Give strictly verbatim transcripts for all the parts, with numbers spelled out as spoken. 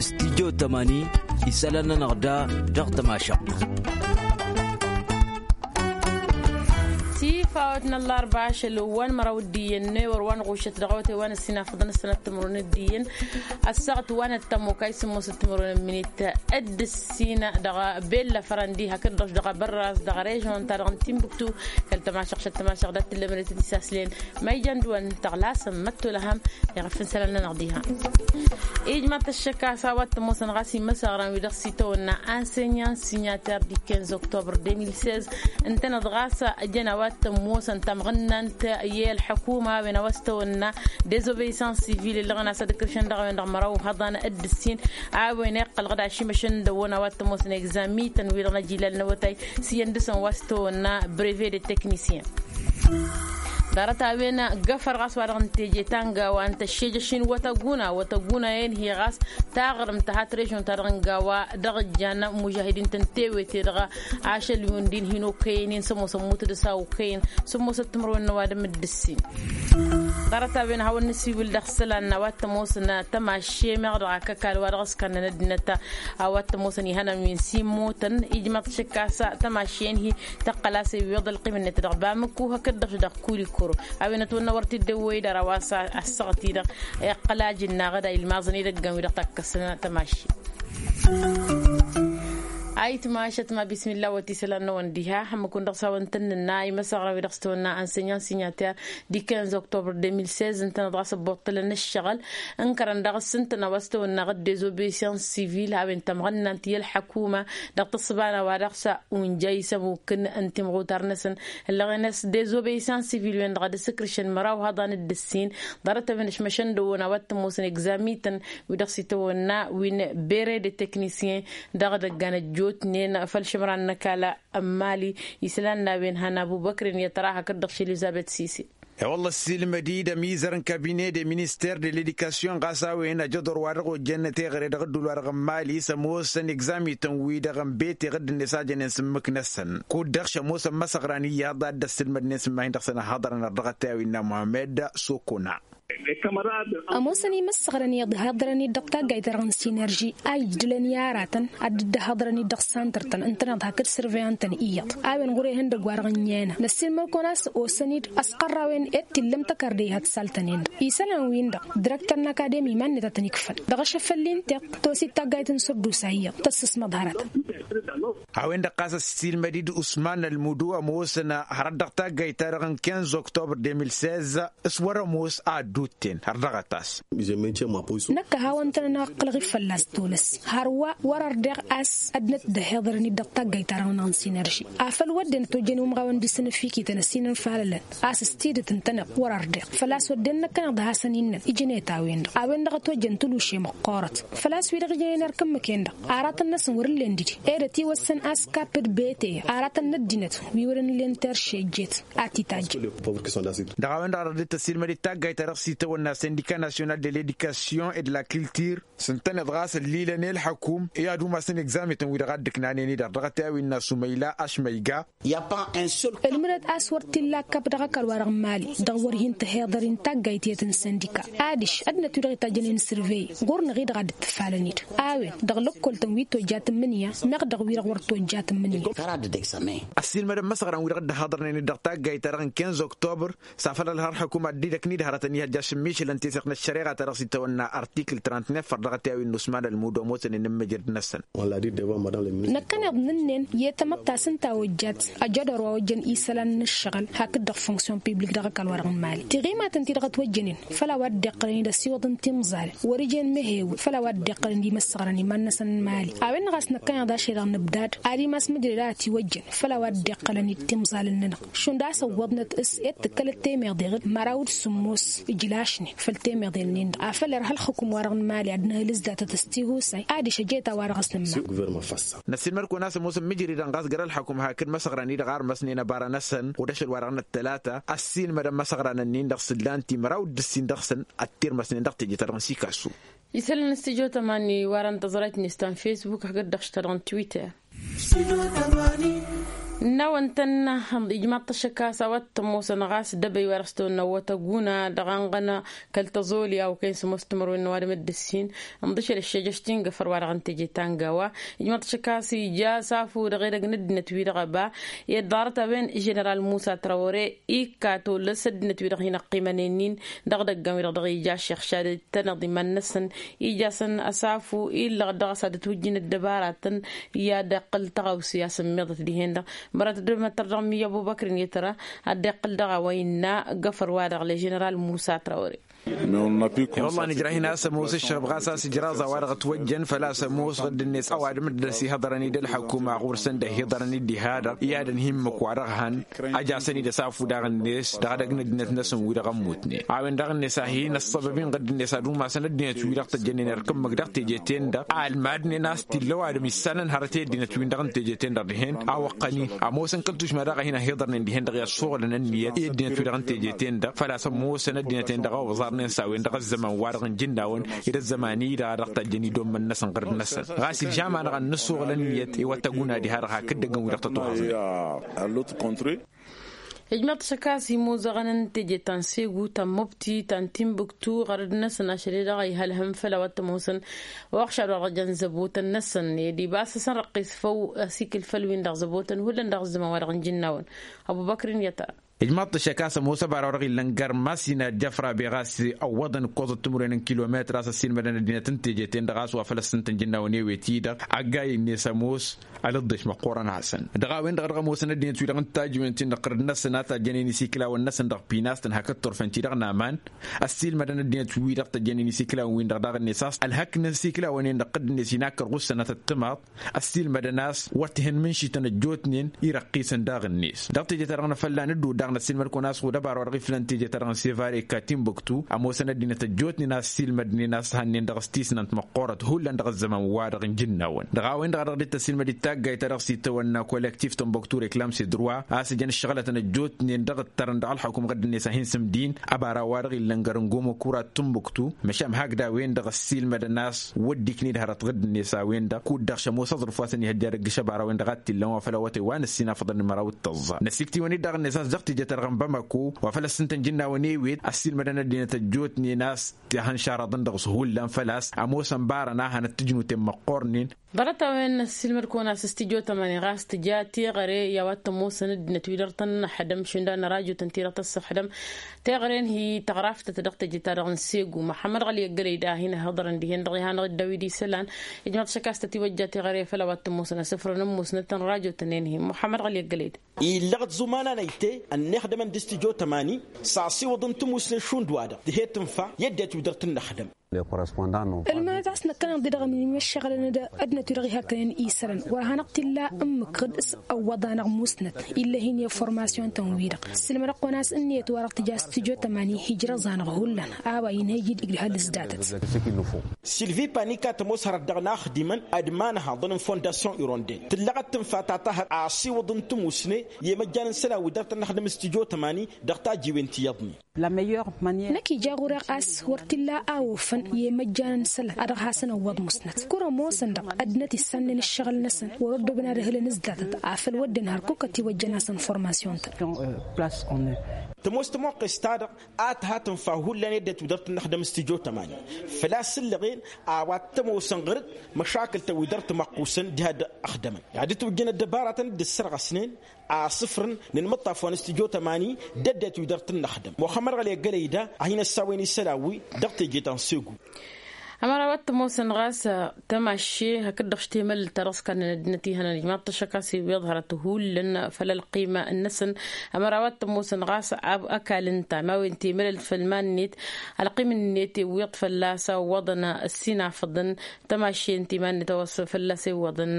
Studyo tămani isălan-nănăɣ da dăɣ-tămašăɣt. Tifawăt n-ăllarba ašăl wa n-măraw d-iyyăn n-ewăr wa n-ɣušăt dăɣ-awătay wa n-ăssinafăḍăn s-sănăt timǝrwen d-iyyăn ăssaɣăt wa n-ăttămokay sǝmmosăt timǝrwen n-minit d-ǝssin dăɣ-bella fărăndi hakd-dăɣ dăɣ-abărraz dăɣ-režon-ta-dăɣ n-timbuktu. Kăl-tămašăɣ šăt tămašăɣ dat-tǝllămădăt d-isaslin ma ijan d-wăn tăɣlasăm măttolăhăm. Iɣăf n-isălan-nănăɣ diha ijmaḍ-t ăššăk a-s a-wa t-ămoosăn ɣas imăsăɣran wi-dăɣ s-itawănna ansenyan sinyater d-ikenz oktobăr deux mille seize. Ǝntăneḍ ɣas ăjăn a-wa t-ămoosăn tamɣǝnnant i-ălḥăkuma a-wen a-wa s-tawănna dezobeisans sivil ǝllăɣăn a-s ad-ǝkrǝšăn dăɣ-a-wen-dăɣ măraw hăḍan d-ǝssin. A-wen iqqălăɣ-dd ašimăšăn dăɣ-wăn a-wa t-ămoosăn egzamitan wi-dăɣ n-ajilal n-awătay s-iyyăn dăɣ-săn wa s-tawănna breve de teknisyen. Ḍarăt-a-wen găfăr ɣas wa-dăɣ n-teje ta n-gawa n-tăššejăš-in wătăguna wătăguna-en-hi ɣas taɣrǝmt tăhat režon-ta-dăɣ n-gawa dăɣ-ǝjjan mužahidin-tăn tewete dăɣ-ašăl wi-wǝndin hin-okăyăn-in s-ămoosăn mutǝdǝs a okăyăn s-ămoosăt timǝrwen n-ăwadǝm d-ǝssin. Ḍarăt-a-wen a hawăn-nǝsiwǝl dăɣ-isălan n-a-wa t-ămoosăn tămašše meɣ dăɣ-akăkal wa dăɣ-s kannăn ăddinăt a-wa t-ămoosăn ihănan wi n-simmotăn ijmaḍ-t šăkk a-s tămašše-en-hi tăqqăl a-s iwweḍ ălqim-net dăɣ-bamǝkku hakd-dăɣ dăɣ-kulikoro. A-wen ătwănnăwăr-t-dd ăwwăy-dd ara wa s-ăssaɣăt-i-dăɣ iqqăl ajǝnnaɣ d-a ilmaẓăn idăggan wi-dăɣ takkăsăn tămašše. Ayǝtmašăt ma bismilla wăt isălan-năwăn diha hămmăkun dăɣ-s a-wăn tăn-nǝnna imăsăɣran wi-dăɣ s-tawănna ănsenyan sinyater d-ikenz oktobăr deux mille seize ǝntăneḍ ɣas ăbboṭṭălăn ǝššăɣǝl ǝnkărăn dăɣ-s ǝntăneḍ a-wa s-tawănna ɣǝd dezobeisans sivil a-wen tămɣănnant i-ălḥăkuma dăɣ-tǝssǝba n-a-wa dăɣ-s unja isămukǝn n-timɣutar-năsăn. Ǝllăɣen-as dezobeisans sivil-wen-dăɣ ad-ǝsǝkrǝšăn măraw hăḍan d-ǝssin. Ḍarăt-a-wen ăšmăšăn dăɣ-wăn a-wa t-ămoosăn egzamitan wi dăɣ-s itawănna wi n-bere de teknisyen dăɣ-idăggan ăjjootnen făll-išǝmran n-ăkall n-mali. Isălan n-a-wen han abubăkrin i-ătra hakd-dăɣ š-elizăbet sise. E-wălla ăssiilmăd-dd ămizăr n-kabine de minister de ledikasyon ɣas a-wen ajăḍor wa dăɣ-ojjăn teɣăre dăɣ-ǝddul wa dăɣ-n mali s-ămoosăn egzamităn-wi-dăɣ n-bete ɣǝdd-net a jănen s-ǝmmǝk-năsăn kud-dăɣ šămoosăn măsăɣran iyyăḍ a dd-ăssǝlmădnen s-ǝmmahin dăɣ-săn ăhhăḍărăn ărdăɣăt i-a-wi n-a muhammed sokona. Ămoosăn imăssăɣrăn iyyăḍ dd-ăhhăḍărăn-dd dăɣ-taggayt-ta-dăɣ n-sinerži a ijdǝlăn i-aratăn ad-dd-ăhhăḍărăn-dd dăɣ-santăr-tăn ǝntăneḍ hakd sărveyăn-tăn iyyăḍ. A-wen ɣur-ehăndăgg wa-dăɣ ǝnniyănăn năssiilmăd-kăwăn a-s osăn-dd ăsqărrawen ed t-illăm tăkarde ihătsaltăn-en-dăɣ isălan-win-dăɣ dirăktăr n-akademi iman-net a tăn-ikfăn dăɣ-ašăfăl-i n-tiɣt tosit taggayt n-sărdusa iyyăḍ tăssǝsmăḍ hărătăn. A-wen-dăɣ ɣas ăssiilmăd-dd usman ălmudu ămoosăn hărăt dăɣ-taggayt-ta-dăɣ n-kinz oktobăr deux mille seize s-wăr-ămoos a ădduutten har dăɣ-ătas. Năkk a hawăn-tăn-ănăɣ ǝqqǝlăɣ-dd fălla-s tolăs hărwa wăr-ărdeɣ a-s ăddinăt dd-ăhiḍărăn-dd dăɣ-taggayt-ta-dăɣ n-sinerži afăl wădden ătojjăn umɣawăn d-isǝnǝfikităn ăsinăn falălăn a-s s-tidǝt ǝntăneḍ wăr-ărdeɣ făl-a-s wădden năkkăneḍ a hasăn-innăn ijnet a-wen-dăɣ a-wen-dăɣ ătojjăn tǝluše măqqoorăt. Făl-a-s wi-dăɣ ijnen erk ǝmmǝk-en-dăɣ aratăn-năsăn wăr-ǝllen didi ed ătiwăssăn a-s kapp d-bete aratăn n-ăddinăt wi wăren ǝllen terše ǝjjet a t-itajjăn. Dăɣ-a-wen-dăɣ a dăɣ-dd-tăsilmăd-dd taggayt ta dăɣ-s itawănna sindika nasyonal de ledikasyon ed la kiltir s-ǝntăneḍ ɣas ăllilăn i-ălḥăkum i-ad-umasăn egzamităn wi-dăɣ a dd-ǝknanen-i-dăɣ dăɣ-ătayawin n-asumăyla ašmăyga. Ălmǝdăt a-s wăr t-illa kapp dăɣ-ăkall-wa-dăɣ n-mali dăɣ-wăr hin-tăhiḍăr-in taggayt i-tăn-sindika adiš ăddinăt wi-dăɣ itajjănen sărvey ɣur-năɣ-i-dăɣ a dd-tǝfalăn-dd a-wen dăɣ-lăkkol-tăn wi tojja tǝmmǝnǝya meɣ dăɣ-wi-dăɣ wăr tojja tǝmmǝnǝya. Ăssiilmădăn imăsăɣran wi-dăɣ dd-ăhhăḍărnen-dd dăɣ-taggayt-ta-dăɣ n-kinz oktober s-afăl ălhărḥăkum ad-dd-idăknid hărătăn ihăjja šǝmmišǝlăn teseɣt n-ăššăreɣa-ta-dăɣ s-itawănna artikǝl trăntnef făr dăɣ-ătayawin n-usman ălmudo ămoosăn inǝmmǝjrǝd-năsăn. Năkkăneḍ nǝnnen i-tamăttas ǝnta a ojjat ajădor wa ojjăn isălan n-ǝššăɣǝl hakd-dăɣ fonksyon piblik dăɣ-ăkall-wa-dăɣ n-mali tiɣimatăn-ti-dăɣ ătwăjjănen făll-a-wa dd-iqqălăn-dd ăsiwăḍ n-timẓalăn wăr-ijăn mehewǝl făll-a-wa dd-iqqălăn d-imăssăɣrăn iman-năsăn n-mali. A-wen-dăɣ a-s năkkăneḍ ašăl-i-dăɣ nǝbdad ad-imas mǝjrăd a ătiwăjjăn făll-a-wa dd-iqqălăn d-timẓalăn-nănăɣ šund a-s ăwwăḍnăt s-ed tǝkkălăt temeḍeɣ d-măraw d-sǝmmos ǝjlašnen făll-temeḍel-nin-dăɣ afăl irha ălxǝkǝm-wa-dăɣ n-mali ad-nǝhǝl s-datăt s-tihusay adiš ăjeta-wa-dăɣ s-nǝmma. Năssiilmăd-kăwăn a-s ămoosăn mǝjridăn ɣas găr-ălxăkum hakd măsăɣran-i-dăɣ armăsnen ăbara-năsăn kud-ašăl-wa-dăɣ n-ăttălata ăssiilmădăn măsăɣran-ǝnnin-dăɣ s-ǝllan timăraw d-ǝssin dăɣ-săn ăttirmăsnen dăɣ-teje-ta-dăɣ n-sikasu. Isălan n-stujo tămani wărăn tăẓrayt-net ta n-facebook hakd-dăɣ-š ta dăɣ-n twitter. N-a-wa ǝntănna ijmaḍ-t ăššăk a-s a-wa t-ămoosăn ɣas dăbăy wa dăɣ-s tăwănna wătăguna dăɣ-anɣăna kăl-tăẓoli a okăyăn s-ămoos timărwen n-ăwadǝm d-ǝssin. Ǝnḍǝšăl ăššejăš ti n-găfăr-wa-dăɣ n-teje ta n-gawa. Ijmaḍ-t ăššăk a-s ija s-afu dăɣ-edăgg n-ăddinăt-wi-dăɣ ăba i-dd-ḍarăt a-wen ženeral musa trawăre ikka tolăs ăddinăt-wi-dăɣ hin-ăqqimănen-in dăɣ-idăggan-wi-dăɣ dăɣ-ija ăššăɣšad tănăḍ iman-năsăn. Ija-săn ăsafu illăɣ dăɣ-s ad-ătwǝjjǝn ăddăbaratăn i-ad-iqqǝl tăɣawse a-s ămmiḍăt dihen-dăɣ. Mărăt d-măttăr dăɣ-mi ăbubăkr-in i-tăra ad-dd-iqqǝl dăɣ-a-wa innă găfăr-wa-dăɣ le ženeral musa trawăre. E-wălla nǝjrah-in a-s ămoos ǝššăɣb ɣas a-s ǝjraẓ a-wa-dăɣ ătwăjjăn făl-a-s ămoos ɣǝdd-net ăwadǝm dd-ăsihăḍărăn-dd ălḥăkuma ɣur-săn d-ăhiḍărăn-dd diha-dăɣ i-ad-ănhimmǝk wa-dăɣ han. Ăjasăn-dd ăsafu daɣ-net dăɣ-edăgg n-ăddinăt-năsăn wi-dăɣ ămmutnen a-wen daɣ-net a hin-ăṣṣăbăb-in ɣǝdd-net ad-umasăn ăddinăt-wi-dăɣ tăjjănen irkǝmmǝk dăɣ-teje-ten-dăɣ. Almad-nen a-s t-illa ăwadǝm issanăn hărăt i-ăddinăt-win-dăɣ n-teje-ten-dăɣ dihen a wăqqăn-i ămoosăn kăl-tušma daɣ a hin-ăhiḍărnen dihen-dăɣ i-ăssuɣǝlăn ǝnniyăt i-ăddinăt-wi-dăɣ n-teje-ten-dăɣ făl-a-s ămoosăn ăddinăt-en-dăɣ a oẓarnen s-a-wen-dăɣ ăzzăman-wa-dăɣ n-ijǝnnawăn d-ăzzăman-i-dăɣ a dăɣ-tajjăn idommăn-năsăn ɣǝrǝd-năsăn. Ɣas ilžam-anăɣ ad-nǝssuɣǝl ǝnniyăt i-wăttăguna diha-dăɣ hakd-ăggăn wi-dăɣ tătuhăẓnen. Ijmăḍ-t ăššăk a-s imoẓăɣăn n-teje ta n-segu ta n-mubti ta n-timbuktu ɣărăd-năsăn ašăl-e-dăɣ a ihălhăm făll-a-wa t-ămoosăn. Oɣšad wa dăɣ-jăn zăbotăn-năsăn ed ibas a-s ănrăqqis făw asikǝl făll-win-dăɣ zăbotăn hullan dăɣ-ăzzăman-wa-dăɣ n-ijǝnnawăn. Ăbubăkr-in i-tăra. Ijmaḍ-t ăššăk a-s ămoos ăbara wa dăɣ-illăn gărm a-s inadjăfra beɣ a-s ăwwăḍăn ǝkkoẓăt timǝrwen n-kilometr a-s ăssiilmădăn ăddinăt n-teje-ten-dăɣ a-s wa făl ăssintăn jǝnnawăn ewet-i-dăɣ. Ăgg-a innes ămoos ălǝḍḍeš măqqoorăn-asăn dăɣ-a-wen-dăɣ a dăɣ-ămoosăn ăddinăt-wi-dăɣ n-tajǝwen-tin-dăɣ ɣǝrǝd-năsăn a tajjănen isiklawăn-năsăn dăɣ-pinas-tăn hakd turfen-ti-dăɣ n-aman. Ăssiilmădăn ăddinăt-wi-dăɣ tăjjănen isiklawăn-win-dăɣ daɣ-net a-s ălhăknăn isiklawăn-en-dăɣ ɣǝdd-net inakkăr ɣussănăt ăttămaḍ. Ăssiilmădăn a-s wăr t-hin-mǝnšităn ăjjootnen. Irăqqisăn daɣ-net dăɣ-teje-ta-dăɣ n-afălla n-ădduul daɣ năssiilmăd-kăwăn a-s ɣud ăbara wa dăɣ-iflăn teje-ta-dăɣ n-sevare ka timbuktu ămoosăn ăddinăt ăjjootnen a ăssiilmădnen a-s hannen dăɣ-s tisnant măqqoorăt hullan dăɣ-ăzzăman-wa-dăɣ n-ijǝnnawăn dăɣ-a-wen-dăɣ a dăɣ-dd-tăssiilmăd d-taggayt ta dăɣ-s itawănna kolektif timbuktu reklam s-idrǝwa a-s ǝjăn ǝššăɣlătăn ăjjootnen dăɣ-ǝttărăn dăɣ-ălxukum ɣǝdd-net a hin-sǝmdin. Ăbara wa dăɣ-illăn gărăngomo kurat timbuktu măšan hakd a-wen-dăɣ ăssiilmădăn a-s wădda ikned hărăt ɣǝdd-net a-wen-dăɣ kud-dăɣ šămoos aẓrǝf wa s-ănihăjja dăgg-š ăbara-wen-dăɣ a t-illăn wa făl awătay wa n-ăssinafăḍăn n-măraw d-tăẓẓa năsiktiwăn-dd daɣ-net a-s dăɣ-teje-ta-dăɣ n-bamako wa făl ăssintăn jǝnnawăn ewet ăssiilmădăn ăddinăt ăjjootnen a-s tihăn šarăḍăn dăɣ-s hullan făl-a-s ămoosăn barăn a hanăt-tǝjnuten măqqornen. Ḍarăt-a-wen ăssiilmăd-kăwăn a-s s-tijo tămani ɣas tǝja teɣăre i-a-wa t-ămoosăn ăddinăt-wi-dăɣ tăn-năxdăm šund a n-ărajotăn-ti-dăɣ tăssăxdăm. Teɣăre n-hi tăɣraftăt dăɣ-teje-ta-dăɣ n-segu măxămmăd ɣăli ăggălăy da a hin-ǝhhăḍărăn dihen-dăɣ ihănăɣ-dd a-wi d-isălan. Ijmaḍ-t šăkastăt iwăjja teɣăre făll-a-wa t-ămoosăn asǝfrăn ămmusnăt tăn-ărajotăn-en-hi măxămmăd ɣăli ăggălăy da. Illăɣ-t zuman-anăyte ănnixdămăn d-s tijo tămani s-asiwǝḍ n-timusne šund wa-dăɣ tǝhe tǝnfa i-ăddinăt-wi-dăɣ tǝnnăxdăm. Ǝlmănăt a-s năkkăneḍ-di dăɣ-ămǝnǝy măššăɣǝlăn-dd ăddinăt-wi-dăɣ ihăkkănen isălan wăr hanăɣ-t-illa ǝmmǝk ɣǝd s-ăwwăḍa-năɣ musnăt. Illa hin-i informasiyon-tăn-wi-dăɣ ǝssǝlmădăɣ-kăwăn a-s ǝnniyăt-wa-dăɣ tǝja s-tijo tămani hijrăẓ-anăɣ hullan a-wa inhăyy-dd igdǝhăl s-datăt. Silvi panika tămoos hărăt dăɣ-inaxdimăn ad-imanhaḍăn n-fondasyon ironden tǝllăɣăt tǝnfa ta tahăt asiwǝḍ n-timusne i-imăjjan n-isălan wi dăr-tăn-năxdăm s-tijo tămani dăɣ-tajiwen ti iyyăḍnen. Năkk ija ɣur-e a-s wăr t-illa a ofăn i-imăjjan n-isălan a dăɣ-hasăn-ăwwăḍ musnăt kăwăn-ămoosăn-dăɣ ăddinăt issannen ǝššăɣǝl-năsăn wăr-ăddobăn ad-ǝhǝlăn s-datăt afăl wădden hărkuk ătiwăjjăn-asăn formasyon-tăn. Tămoos tămoqqes-ta-dăɣ a tǝha tǝnfa hullan i-ăddinăt wi dăr-tăn-năxdăm s-tijo tămani făl-a-s ǝllăɣen a-wa t-ămoosăn ɣăr-dd măšakǝl-tăn wi dăr-tǝmăqqusăn diha dd-ăxdămăn. Ad-ǝtwǝjjăn ăddăbaratăn dd-ǝssărɣăsnen asǝfrăn n-inmǝṭṭaf wa n-s tijo tămani d-ăddinăt wi dăr-tăn-năxdăm muxămmăd ɣăli ăggălăy da a hin-ăssawăyăn isălan-wi dăɣ-teje ta n-segu. Ămăra wa t-ămoosăn ɣas tămašše hakd-dăɣ š-temălălt ta dăɣ-s kannăn ăddinăt ihănăn ijmaḍ-t ăššăk a-s iwweḍ hărăt hullan făll-ălqima-năsăn. Ămăra wa t-ămoosăn ɣas ăkall ǝnta ma-wen temălălt făll-iman-net ălqim-net iwweḍ fălla-s a ǝwwăḍăn ăssinafăḍăn tămašše ǝnta iman-net a-wa s-fălla-s iwwăḍăn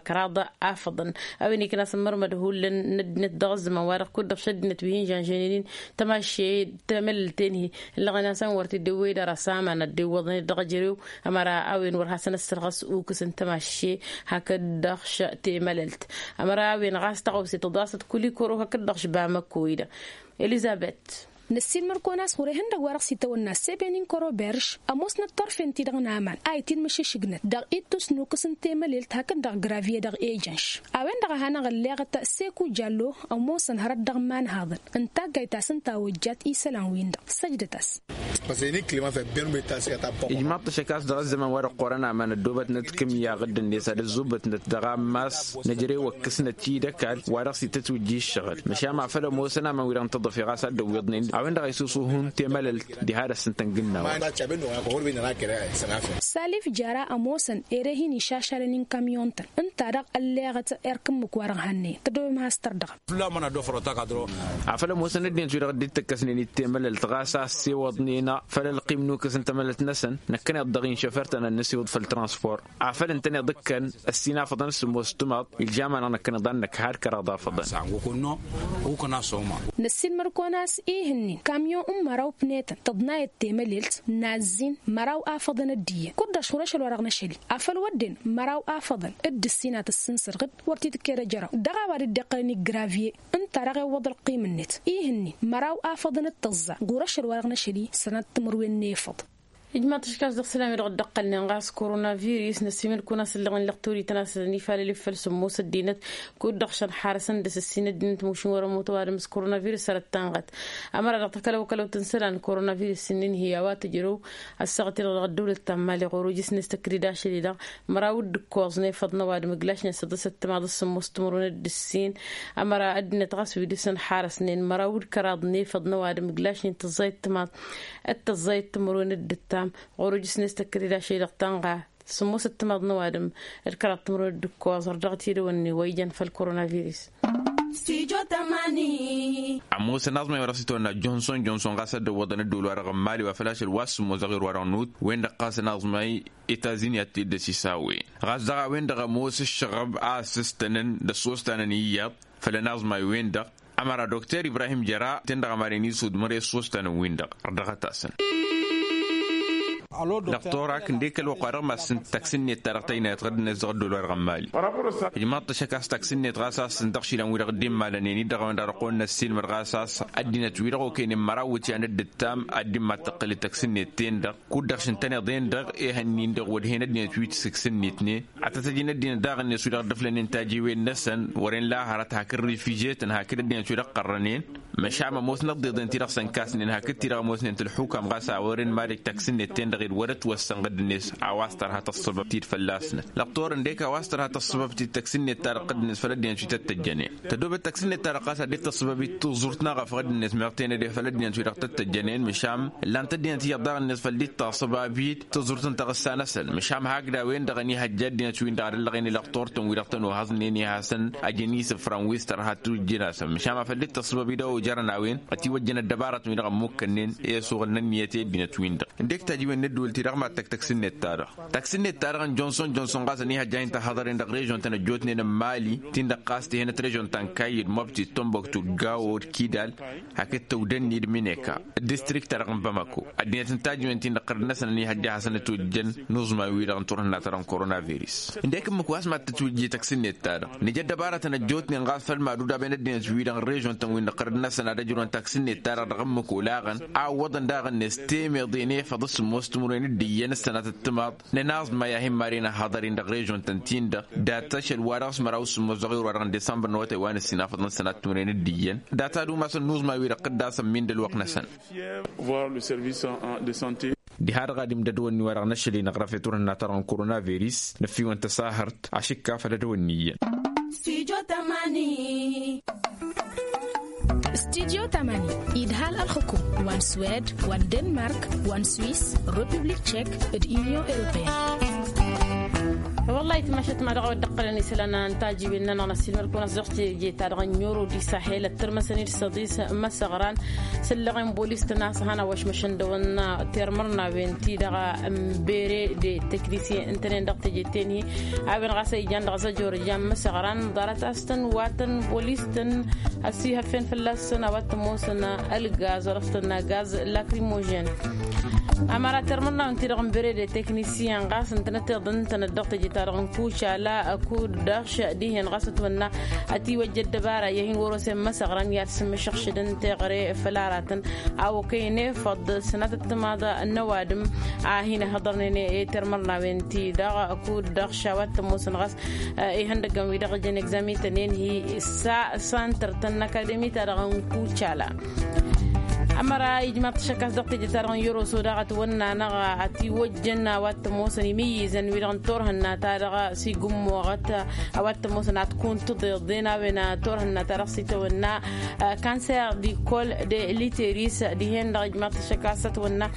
kăraḍ afăḍăn. A-wen iknas n-imărmăd hullan n-ăddinăt dăɣ-ăzzăman-wa-dăɣ kud-dăɣ šăddinăt wi hin-žănžănen-in tămašše temălălt-en-hi ǝllăɣăn-asăn wăr t-dd-ewwăy d-ara s-amanăt d-iwwăḍăn-dd dăɣ-ejărew. Ămăra a-wen wăr hasăn-ăssărɣăs ukǝs n-tămašše hakd-dăɣ š-temălălt. Ămăra a-wen ɣas tăɣawse tǝḍasăt kulikoro hakd-dăɣ š-bamăkko-i-dăɣ. Elizăbet. Năssiilmăr-kăwăn a-s ɣur-ehăndăgg wa dăɣ-s itawănna sebeninkăro berž ămoosnăt turfen-ti-dăɣ n-aman a itinmǝšǝšǝgnăt dăɣ-ittus n-ukǝs n-temălelt hakd-dăɣ gravye dăɣ-ejănš. A-wen-dăɣ a hanăɣ-ălleɣăt seku jallo ămoosăn hărăt dăɣ-imanhaḍăn n-taggayt ta s-ǝnta a ojjat isălan-win-dăɣ săjdăt-as. Ijmaḍ-t ašăk a-s dăɣ-ăzzăman wa dăɣ-qorăn aman ăddoobătnăt kǝmya ɣǝddǝnet ad-ăzzubătnăt dăɣ-ammas năjrewăkkǝsnăt-i d-ăkall wa dăɣ-s itătwǝjja ǝššăɣǝl măšan afăl ămoosăn aman wi-dăɣ n-tăḍăfe ɣas ad-dd-ăwwiḍnen a-wen-dăɣ a isusuhun temălălt diha dăr-s ǝntăn gǝnnawen. Salif jara ămoosăn ere hin-išašalăn i-n kamyon-tăn ǝnta-dăɣ ălleɣăt erk ǝmmǝk wa dăɣ-hannăyăn tăddoobem has-tărdăɣăm. Afăl ămoosăn ăddinăt-wi-dăɣ dd-tăkkăsnen i-temălălt ɣas a ăssewăḍnen făll-ălqim n-ukǝs n-temălălt-năsăn năkkăneḍ-dăɣ inšofert-tăn ad-nǝsiwǝḍ făll-transpor afăl ǝntăneḍ ǝkkăn ăssinafăḍăn s-sǝmmos timaḍ ilžam-anăɣ năkkăneḍ ad-năkk har kăraḍ afăḍăn. Năssiilmăr-kăwăn a-s ih'-ǝnnin kamyon n-măraw pnetăn tăḍnayăt temălelt n-azzin măraw afăḍăn dd-iyyăn kud-dăɣ šur ašăl wa dăɣ-năšăl-i afăl wădden măraw afăḍăn dd-ǝssinat ǝssǝnsărɣ-dd wăr t-dd-ked ejăraw dăɣ-a-wa dd-iqqălăn igravye. Ǝnta-dăɣ iwwăḍ ălqim-net ih'-ǝnnin măraw afăḍăn d-tăẓẓa ɣur-ašăl wa dăɣ-năšăl-i sănat timǝrwen n-efăḍ. Ijmaḍ-t aškas dăɣ-isălan-wi-dăɣ dd-ăqqălnen ɣas koronavirus năssiimǝl-kăwăn a-s ǝllăɣen lăqtor ităn-asălăn ifalăl-i făll-sǝmmos ăddinăt kud-dăɣ šăn xarăsăn dăɣ-s ǝssin ăddinăt mušǝn wăr-ămoot ăwadǝm s-koronavirus sărăt tanɣăt. Ămăra dăɣ-takălăw-kălăwt n-isălan koronavirus ǝnnin hi-a-wa tǝjrăw ăssaɣăt-i-dăɣ dăɣ-ăddăwlăt ta n-imali ɣur-ujǝsnet ăkrid ašăl-i-dăɣ măraw d-ǝkkoẓ n-efăḍ n-ăwadǝm ǝglašnen săḍǝsăt timaḍ s-sǝmmos timǝrwen d-ǝssin. Ămăra ăddinăt ɣas wi dăɣ-săn xarăsnen măraw d-kăraḍ n-efăḍ n-ăwadǝm ǝglašnen tǝẓẓayăt timaḍ d-tǝẓẓayăt timǝrwen d-ǝttam ɣur-ujǝsnet ăkrid ašăl-i-dăɣ tanɣa sǝmmosăt timaḍ n-ăwadǝm d-kăraḍ timǝrwen d-ǝkkoẓ ărdăɣăt i-dăwănne wa ijăn făll-koronavirus. Ămoosăn aẓmay wa dăɣ-s itawănna jonson jonson ɣas ad-dd-ăwwăḍăn ăddol-wa-dăɣ n-mali wa făl ašăl wa s-sǝmmos dăɣ-irwa-dăɣ n-ut-wen-dăɣ ɣas ănaẓmay etazini ad-t-dd-ăsisawen ɣas daɣ a-wen-dăɣ ămoos ǝššăɣăb a ăssǝstănăn d-ăssostan n-iyyăḍ făll-ănaẓmay-wen-dăɣ. Ămăra dokter ibrahim jăra ten-dăɣ ămaren isudmăr i-ăssostan n-win-dăɣ ărdăɣăt-asăn. Lăqtor-ak ǝndek ălwăqq-wa-dăɣ ma s-sǝnt taksǝnnet-ta-dăɣ tăynayăt ɣǝddǝnet dăɣ-ăddol-wa-dăɣ n-mali. Ijmaḍ-t ašăk a-s taksǝnnet ɣas a-s sǝnt dăɣ-išilan-wi-dăɣ dd-immalănen-dd dăɣ-a-wen-dăɣ dăɣ-kăwăn-năssiilmăd ɣas a-s ăddinăt-wi-dăɣ okăynen măraw iwǝtyan d-ǝttam ad-dd-immattăqqǝl d-taksǝnnet-ten-dăɣ kud-dăɣ šǝntăneḍ-en-dăɣ ehăn-in-dăɣ wăr hen ăddinăt wi t-sǝksǝnnitnen. Ad-tăt-ăj n-ăddinăt daɣ-net wi-dăɣ dd-ǝflănen tajiwen-năsăn wăren la hărăt hakd rifiže-tăn hakd ăddinăt wi-dăɣ qărrănen. Măšan ămoosnăt tiḍeḍen-ti-dăɣ săn kasnen hakd ti-dăɣ ămoosnen tǝlxukam ɣas a wăren mad-ăj taksǝnnet-ten-dăɣ ed wăr-ătwăssăn ɣǝdd-net. A-wa s-tărha tăssăbăb-t-dd fălla-snăt lăqtor ǝndek a-wa s-tărha tăssăbăb-t-dd taksǝnnet-ta-dăɣ ɣǝdd-net făll-ăddinăt wi tăt-tăjjănen. Tădobăt taksǝnnet-ta-dăɣ ɣas ad-dd-tăssăbăb-dd tuẓurt n-aɣăf ɣǝdd-net meɣ tenăde făll-ăddinăt wi-dăɣ tăt-tăjjănen măšan ǝllan-t ăddinăt iyyăḍ daɣ-net făll-dd-taṣăbab-dd tǝẓurt n-taɣǝssa-năsăn măšan hakd a-wen-dăɣ ănihăjja ăddinăt-win-dăɣ ad-ăllăɣen i-lăqtor-tăn wi-dăɣ tăn-ohăẓnen i-hasăn-ăjăn isǝfran wi s-tărha tujjǝn-asăn măšan ma făll-dd-tăṣṣăbăb-dd a ojărăn a-wen ătiwăjjăn ăddăbarătăn wi-dăɣ ămmukkănnen i-asuɣǝl n-ǝnniyăt i-ăddinăt-win-dăɣ. Ǝndek tajiwen n-ăddǝwǝl-ti-dăɣ ma tăkk-taksǝnnet-ta-dăɣ taksǝnnet-ta-dăɣ n-jonson jonson ɣas ănihăjja a hin-tăhhăḍăren dăɣ-režon-tăn ăjjootnen n-mali-tin-dăɣ ɣas tihănăt režon ta n-kayyǝd mobti d-tomboktu d-gawo d-kidal. Hakd tăwdănni d-mineka d-distrikt-ta-dăɣ n-bamako ăddinăt n-tajiwen-tin-dăɣ ɣărd-năsăn ănihăjja ad-hasăn-ătwǝjjăn n-uẓmay-wi-dăɣ n-turhǝnna-ta-dăɣ n-koronavirus. Ǝndek ǝmmǝk wa s-mad-tătwǝjje taksǝnnet-ta-dăɣ nǝja ăddăbarătăn ăjjootnen ɣas făll-mad-udaben ăddinăt-wi-dăɣ n-režon-tăn-win-dăɣ ɣărd-năsăn ad-ăjrăwăn taksǝnnet-ta-dăɣ dăɣ-ǝmmǝk olaɣăn a ǝwwăḍăn daɣ-net temeḍe n-efăḍ s-sǝmmos timǝrwen d-iyyăn s-sănatăt timaḍ n-ănaẓmay a hin-maren ăhhăḍăr-in dăɣ-režon-tăn-tin-dăɣ. Dat-ašăl wa dăɣ-s măraw s-sǝmmos dăɣ-irwa-dăɣ n-disămbăr n-awătay wa n-ǝssin afăḍăn sănat timǝrwen d-iyyăn. Dat-ad-umasăn n-uẓmay-wi-dăɣ tǝdda a-s ămmin d-ălwăqq-năsăn. Diha-dăɣ ad-imdăd wănni wa dăɣ-năšăl-i n-aɣrăf i-turhǝnna-ta-dăɣ n-koronavirus năffiwăn tăsahărt ašǝkka făll-ad-wănni iyyăn. Studio tamani idhal ălxǝkum wa n-swed wa n-denmark wa n-swis, republik tchek d-union europeen. Wăllah itmašat ma dăɣ-a-wa dd-ǝqqălăn isălan n-tajiwen-nănăɣ n-asilmăr-kăwăn a-s dăɣ-teje-ta-dăɣ n-euro di sahel ăttărmăsăn-dd săḍis măsăɣran s-ǝllăɣen bolis-tăn a-s han ăwwăšmăšăn dăɣ-wăn tirmărnawen-ti-dăɣ n-bere de teknisyen ǝntănen dăɣ-teje-ten-hi. A-wen ɣas a ijan dăɣ-zăjor ijan măsăɣran ḍarăt a-s tăn-watăn bolis-tăn ăsihăffen fălla-săn a-wa t-ămoosăn ălgaz wa dăɣ-s tănna gaz lakrimojen. Ămăra termărnawen-ti-dăɣ n-bărede teknisiyăn ɣas ǝntănăt iḍǝntănăt dăɣ-teje-ta-dăɣ n-kucala kud-dăɣ dihen ɣas ătwănna ătiwăjja ăddăbara i-ad-hin-wăr-osen măsăɣrăn i-ad-sǝmmǝšăɣšǝdăn teɣăre făll-aratăn a okăyăn efăḍ sănatăt timaḍa n-ăwadǝm a hin-ăhhăḍărnen i-termărnawen-ti-dăɣ kud-dăɣ šawat tămoosăn ɣas ihăndăggăn wi-dăɣ ǝjăn egzamin-tăn enhi s-a santăr-tăn n-akademi-ta-dăɣ n-kucala. Ămăra ijmaḍ-t ašăk a-s dăɣ-teje-ta-dăɣ n-yăroso daɣ ătwănna-năɣ ătiwăjjăn a-wa t-ămoosăn imǝyyǝzăn wi-dăɣ n-turhǝnna-ta-dăɣ s-igǝmmoɣăt a-wa t-ămoosăn ad-kuntǝḍeḍen a-wen turhǝnna-ta-dăɣ s-itawănna kanser dikol de literis dihen-dăɣ ijmaḍ-t ašăk a-s ătwănna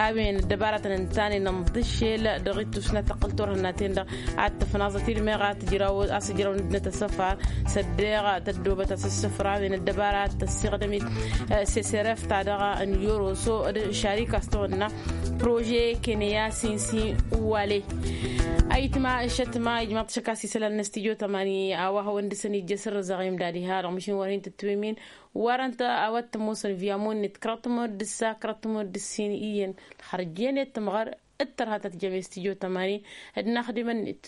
a-wen ăddăbaratăn ǝntanen ănḍǝššel dăɣ-ittus n-ad-tăqqǝl turhǝnna-ten-dăɣ ad-tǝfnaẓăt ilmeɣ a-s ǝjraw-năt asăfar s-ăddeɣ tăddoobăt asǝssǝfrawen ăddăbara ad-tăssiɣdăm-it s-eseref-ta-dăɣ n-yoroso d-šarik a-s tăwănna prože keneya sinsi wale. Ayǝtma šătma ijmaḍ-t ašăk a-s isălan n-astidyo tămani a-wa hawăn-dăɣ-săn ijjăsăr ăzăɣim d-adiha dăɣ-măšin wăr hin-tǝtwǝmin wăr-ănta a-wa t-ămoosăn via monnit kăraḍ tămăr d-ǝssa kăraḍ tămăr d-ǝssin iyyăn ălxărjăn i-tămɣăr d-tărha ta tǝjjăm i-studio tămani d-inaxdimăn-net.